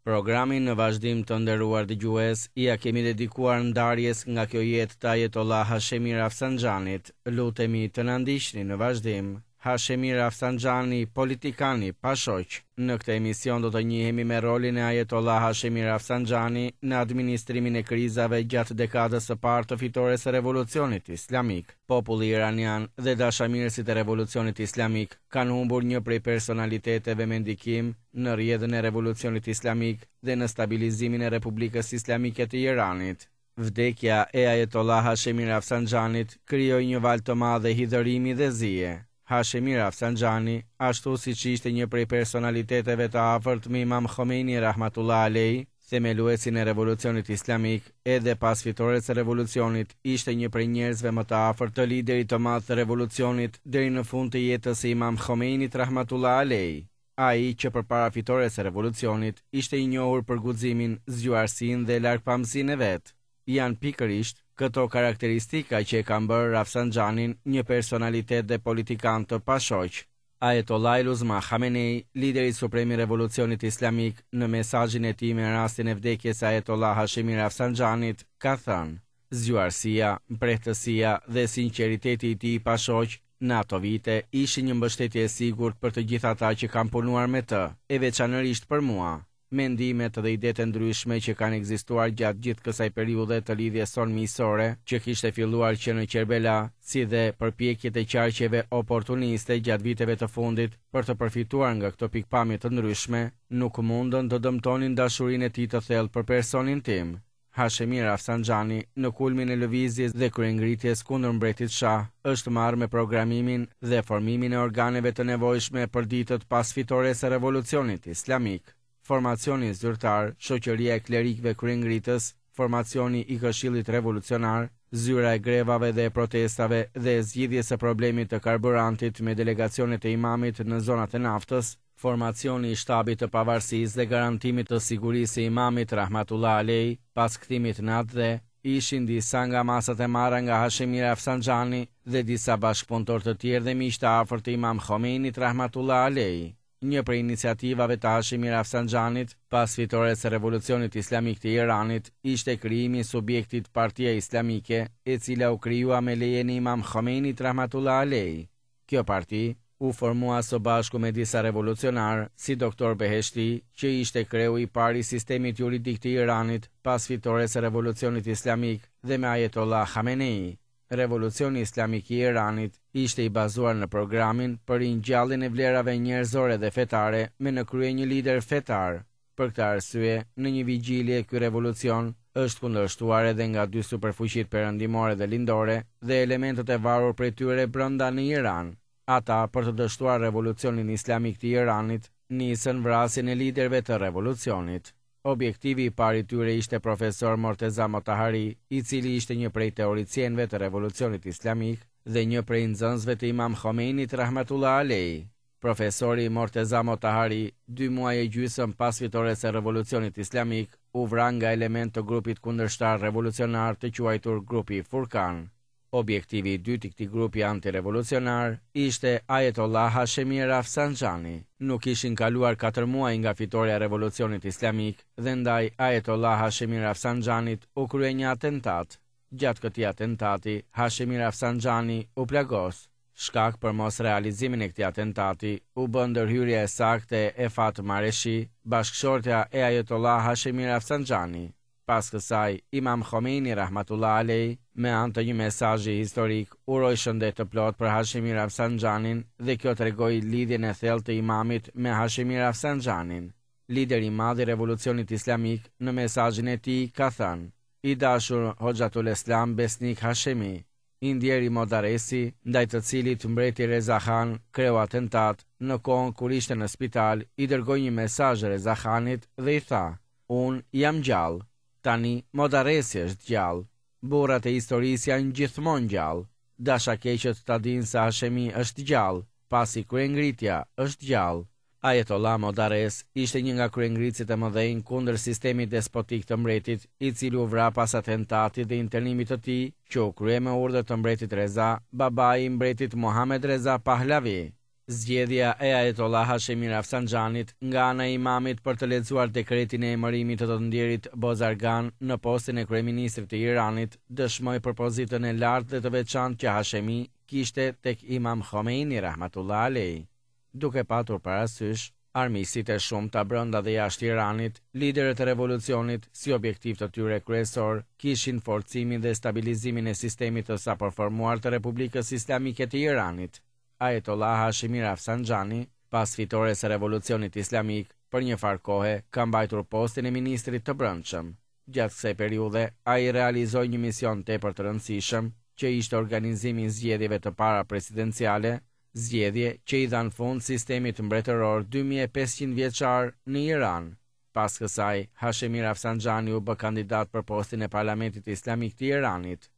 Programin në vazhdim të nderuar dëgjues ia kemi dedikuar ndarjes nga kjo jetë të Ajetollah Hashemi Rafsanxhanit. Lutemi të na ndiqni në vazhdim. Hashemi Rafsanxhani, politikan i pashoq. Në këtë emision do të njihemi me rolin e Ajetollah Hashemi Rafsanxhani në administrimin e krizave gjatë dekadës së parë të fitores së Revolucionit Islamik. Populli iranian dhe dashamirësit e Revolucionit Islamik kanë humbur një prej personaliteteve me ndikim në rrjedhën e Revolucionit Islamik dhe në stabilizimin e Republikës Islamike të Iranit. Vdekja e Ajetollah Hashemi Rafsanxhanit krijoi një valë të madhe hidhërimi dhe zie. Hashemi Rafsanxhani, ashtu siç ishte një prej personaliteteve të afërt me Imam Khomeini rahmatullah alejh, themeluesin e Revolucionit Islamik, edhe pas fitores së revolucionit, ishte një prej njerëzve më të afërt të liderit të madh të revolucionit deri në fund të jetës së Imam Khomeinit rahmatullah alejh. Ai, që përpara fitores së revolucionit, ishte i njohur për guximin, zgjuarsinë dhe largpamësinë e vet. Janë pikërisht këto karakteristika që e kanë bërë Rafsanxhanin një personalitet dhe politikan të pashoq. Ajetollahil Uzma Khamenei, lideri suprem i Revolucionit Islamik, në mesazhin e tij me rastin e vdekjes së Ajetollah Hashemi Rafsanxhanit, ka thënë, Zgjuarsia, mprehtësia dhe sinqeriteti i tij i pashoq në ato vite ishin një mbështetje e sigurt për të gjithë ata që kanë punuar me të, e veçanërisht për mua. Mendimet dhe idetë e ndryshme që kanë ekzistuar gjatë gjithë kësaj periudhe të lidhjes sonë miqësore, që kishte filluar që në Qerbela, si dhe përpjekjet e qarqeve oportuniste gjatë viteve të fundit për të përfituar nga këto pikëpamje të ndryshme, nuk mundën të dëmtonin dashurinë e tij të thellë për personin tim. Hashemi Rafsanxhani, në kulmin e lëvizjes dhe kryengritjes kundër mbretit Shah, është marrë me programimin dhe formimin e organeve të nevojshme për ditët pas fitores së Revolucionit Islamik. Formacioni zyrtar, Shoqëria e Klerikëve Kryengritës, formacioni i Këshillit Revolucionar, Zyra e grevave dhe e protestave dhe e zgjidhjes së problemit të karburantit me delegacionet e imamit në zonat e naftës, Formacioni i Shtabit të Pavarësisë dhe garantimit të sigurisë së Imamit rahmatullah alejh pas kthimit në atdhe, ishin disa nga masat e marra nga Hashemi Rafsanxhani dhe disa bashkëpunëtorë të tjerë dhe miq të afërt të Imam Khomeinit rahmatullah alejh. Një prej iniciativave të Hashemi Rafsanxhanit pas fitores së Revolucionit Islamik të Iranit ishte krijimi i subjektit Partia Islamike, e cila u krijua me lejen e Imam Khomeinit rahmatullah alejh. Kjo parti u formua së bashku me disa revolucionarë, si Doktor Beheshti, që ishte kreu i parë i sistemit juridik të Iranit pas fitores së Revolucionit Islamik dhe me Ajetollah Khamenei. Revolucioni Islamik i Iranit ishte i bazuar në programin për ringjalljen e vlerave njerëzore dhe fetare me në krye një lider fetar. Për këtë arsye, në një vigjilje ky revolucion është kundërshtuar edhe nga dy superfuqitë perëndimore dhe lindore dhe elementët e varur prej tyre brenda në Iran. Ata, për të dështuar revolucionin islamik të Iranit, nisën vrasjen e liderëve të revolucionit. Objektivi i parë i tyre ishte profesor Morteza Motahari, i cili ishte një prej teoricienëve të revolucionit islamik dhe një prej nxënësve të Imam Khomeinit rahmatullah alejh. Profesori Morteza Motahari, dy muaj e gjysëm pas fitores së Revolucionit Islamik, u vra nga elementë të grupit kundërshtar revolucionar të quajtur Grupi Furkan. Objektivi i dytë i këtij grupi antirevolucionar ishte Ajetollah Hashemi Rafsanxhani. Nuk kishin kaluar katër muaj nga fitorja e Revolucionit Islamik dhe ndaj Ajetollah Hashemi Rafsanxhanit u krye një atentat. Gjatë këtij atentati, Hashemi Rafsanxhani u plagos. Shkak për mosrealizimin e këtij atentati u bë ndërhyrja e saktë e Efat Mareshi, bashkëshortja e Ajetollah Hashemi Rafsanxhani. Pas kësaj, Imam Khomeini rahmatullah alejh, me anë të një mesazhi historik, uroi shëndet të plotë për Hashemi Rafsanxhanin dhe kjo tregoi lidhjen e thellë të Imamit me Hashemi Rafsanxhanin. Lideri i madh i Revolucionit Islamik në mesazhin e tij ka thënë, I dashur Hoxhatuleslam Besnik Hashemi, I ndjeri Modaresi, ndaj të cilit mbreti Reza Khan kreu atentat, në kohën kur ishte në spital, i dërgoi një mesazh Reza Khanit dhe i tha, Unë jam gjallë. Tani Modaresi është gjallë. Burrat e historisë janë gjithmonë gjallë. Dashakeqët ta dinë se Hashemi është gjallë, pasi kryengritja është gjallë. Ajetollah Modarres ishte një nga kryengritësit e mëdhenj kundër sistemit despotik të mbretit, i cili u vra pas atentatit dhe internimit të tij, që u krye me urdhër të mbretit Reza, babai i mbretit Mohamed Reza Pahlavi. Zgjedhja e Ajetollah Hashemi Rafsanxhanit nga ana e Imamit për të lexuar dekretin e emërimit të të ndjerit Bozargan në postin e kryeministrit të Iranit dëshmoi për pozitën e lartë dhe të veçantë që Hashemi kishte tek Imam Khomeini rahmatullah alejh. Duke patur parasysh armiqësitë e shumta brenda dhe jashtë Iranit, liderët e revolucionit si objektiv të tyre kryesor kishin forcimin dhe stabilizimin e sistemit të sapoformuar të Republikës Islamike të Iranit. Ajetollah Hashemi Rafsanxhani, pas fitores së Revolucionit Islamik, për një farë kohe ka mbajtur postin e ministrit të Brendshëm. Gjatë kësaj periudhe, ai realizoi një mision tepër të rëndësishëm, që ishte organizimi i zgjedhjeve të para presidenciale, zgjedhje që i dhanë fund sistemit mbretëror 2500 vjeçar në Iran. Pas kësaj, Hashemi Rafsanxhani u bë kandidat për postin e Parlamentit Islamik të Iranit.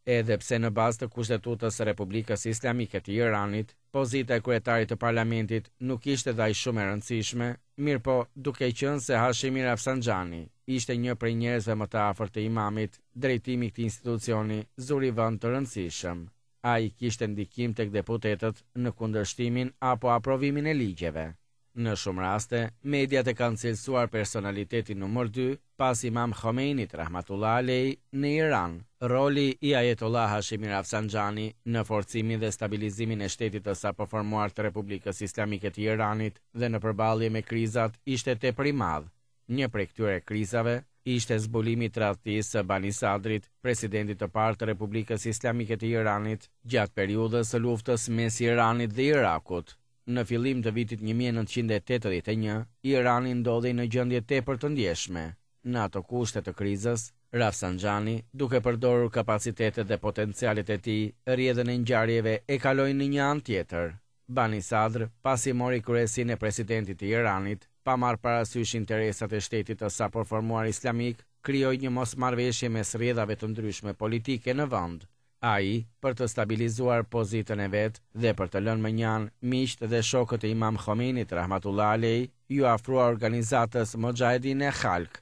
Edhe pse në bazë të Kushtetutës së Republikës Islamike të Iranit, pozita e kryetarit të parlamentit nuk ishte dhe aq shumë e rëndësishme, mirëpo, duke qenë se Hashemi Rafsanxhani ishte një prej njerëzve më të afërt të Imamit, drejtimi i këtij institucioni zuri vend të rëndësishëm. Ai kishte ndikim tek deputetët në kundërshtimin apo aprovimin e ligjeve. Në shumë raste, mediat e kanë cilësuar personalitetin numër dy, pas Imam Khomeinit rahmatullah alejh në Iran. Roli i Ajetollah Hashemi Rafsanxhani në forcimin dhe stabilizimin e shtetit të sapoformuar të Republikës Islamike të Iranit dhe në përballje me krizat ishte tepër i madh. Një prej këtyre krizave ishte zbulimi i tradhtisë së Bani Sadrit, presidentit të parë të Republikës Islamike të Iranit, gjatë periudhës së luftës mes Iranit dhe Irakut. Në fillim të vitit 1981, Irani ndodhej në gjendje tepër të ndjeshme. Në ato kushte të krizës, Rafsanxhani, duke përdorur kapacitetet dhe potencialet e tij, rrjedhën e ngjarjeve e kaloi në një anë tjetër. Bani Sadr, pasi mori kryesinë e presidentit të Iranit, pa marrë parasysh interesat e shtetit të sapoformuar islamik, krijoi një mosmarrëveshje mes rrjedhave të ndryshme politike në vend. Ai, për të stabilizuar pozitën e vet dhe për të lënë mënjanë miqtë dhe shokët e Imam Khomeinit rahmatullah alejh, iu afrua organizatës Moxhahedin-e Khalq.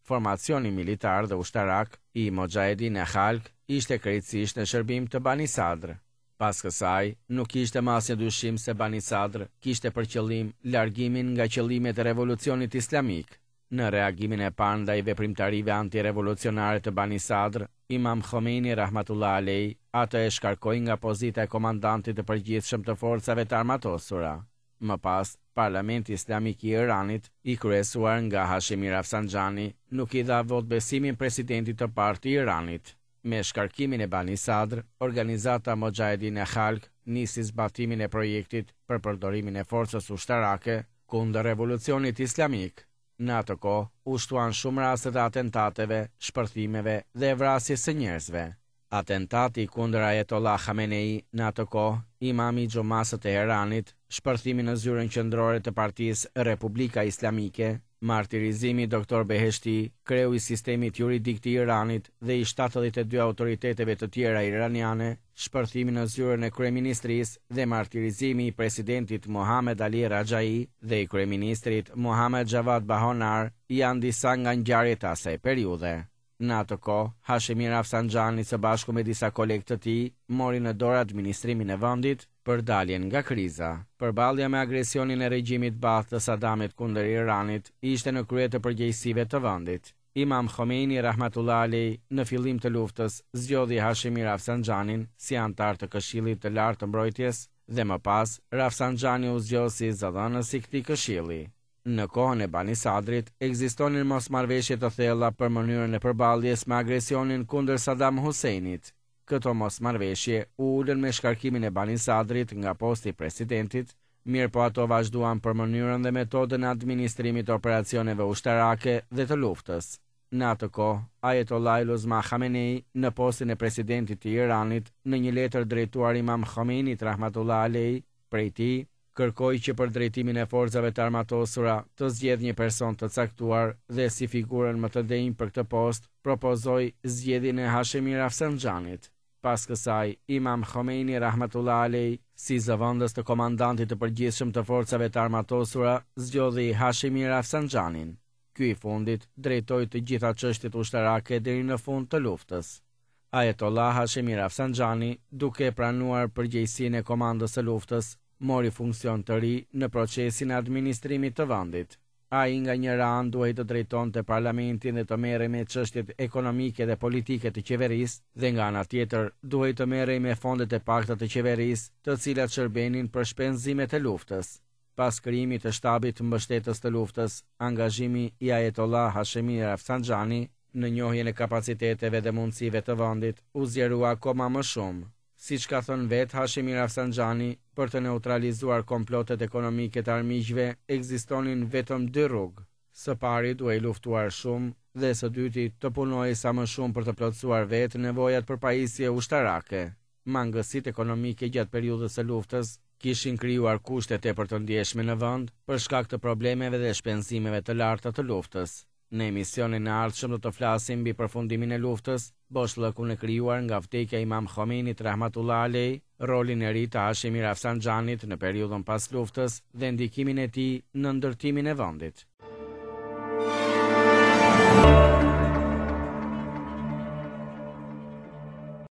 Formacioni militar dhe ushtarak i Moxhahedin-e Khalq ishte krejtësisht në shërbim të Bani Sadr. Pas kësaj, nuk kishte më asnjë dyshim se Bani Sadr kishte për qëllim largimin nga qëllimet e Revolucionit Islamik. Në reagimin e parë ndaj veprimtarive antirevolucionare të Bani Sadr, Imam Khomeini rahmatullah alejh atë e shkarkoi nga pozita e komandantit të përgjithshëm të forcave të armatosura. Më pas, Parlamenti Islamik i Iranit, i kryesuar nga Hashemi Rafsanxhani, nuk i dha votëbesimin presidentit të parë të Iranit. Me shkarkimin e Bani Sadr, organizata Moxhahedin e Khalq nisi zbatimin e projektit për përdorimin e forcës ushtarake kundër Revolucionit Islamik. Në atë kohë, u shtuan shumë raste të atentateve, shpërthimeve dhe vrasjes së njerëzve. Atentati kundër Ajetollah Khamenei, në atë kohë, imami i Xhumasë së Teheranit, shpërthimi në zyrën qendrore të partisë Republika Islamike, martirizimi i Doktor Beheshti, kreu i sistemit juridik të Iranit dhe i 72 autoriteteve të tjera iraniane, shpërthimi në zyrën e kryeministrisë dhe martirizimi i presidentit Mohamed Ali Rajai dhe i kryeministrit Mohamed Javad Bahonar janë disa nga ngjarjet e asaj periudhe. Në atë kohë, Hashemi Rafsanxhani së bashku me disa kolegë të tij mori në dorë administrimin e vendit për daljen nga kriza. Përballja me agresionin e regjimit Baath të Sadamit kundër Iranit ishte në krye të përgjegjësive të vendit. Imam Khomeini rahmatullah alejh në fillim të luftës zgjodhi Hashemi Rafsanxhanin si anëtar të Këshillit të Lartë të Mbrojtjes dhe më pas Rafsanxhani u zgjodh si zëdhënës i këtij këshilli. Në kohën e Bani Sadrit ekzistonin mosmarrëveshje të thella për mënyrën e përballjes me agresionin kundër Saddam Husseinit. Këto mosmarrëveshje u ulën me shkarkimin e Bani Sadrit nga posti i presidentit, mirëpo ato vazhduan për mënyrën dhe metodën e administrimit të operacioneve ushtarake dhe të luftës. Në atë kohë, Ayatollah Uzma Khamenei, në postin e presidentit të Iranit, në një letër drejtuar Imam Khomeinit rahmatullah alejh, prej tij, kërkoi që për drejtimin e forcave të armatosura të zgjedhë një person të caktuar dhe si figurën më të denjë për këtë post propozoi zgjedhjen e Hashemi Rafsanxhanit. Pas kësaj, Imam Khomeini rahmatullah alejh, si zëvendës të komandantit të përgjithshëm të forcave të armatosura, zgjodhi Hashemi Rafsanxhanin. Ky i fundit drejtoi të gjitha çështjet ushtarake deri në fund të luftës. Ayatollah Hashemi Rafsanxhani, duke pranuar përgjegjësinë e komandës së luftës, mori funksion të ri në procesin e administrimit të vendit. Ai nga njëra anë duhej të drejtonte parlamentin dhe të merrej me çështjet ekonomike dhe politike të qeverisë dhe nga ana tjetër duhej të merrej me fondet e pakta të qeverisë, të cilat shërbenin për shpenzimet e luftës. Pas krijimit të shtabit mbështetës të luftës, angazhimi i Ajetollah Hashemi Rafsanxhani në njohjen e kapaciteteve dhe mundësive të vendit u zgjerua akoma më shumë. Siç ka thënë vetë Hashemi Rafsanxhani, për të neutralizuar komplotet ekonomike të armiqve ekzistonin vetëm dy rrugë, së pari duhej luftuar shumë dhe së dyti të punohej sa më shumë për të plotësuar vetë nevojat për pajisje ushtarake. Mangësitë ekonomike gjatë periudhës së luftës kishin krijuar kushte tepër të ndjeshme në vend për shkak të problemeve dhe shpenzimeve të larta të luftës. Në emisionin e ardhshëm do të flasim mbi përfundimin e luftës, boshllëkun e krijuar nga vdekja e Imam Khomeinit rahmatullah alejh, rolin e ri të Hashemi Rafsanxhanit në periudhën pas luftës dhe ndikimin e tij në ndërtimin e vendit.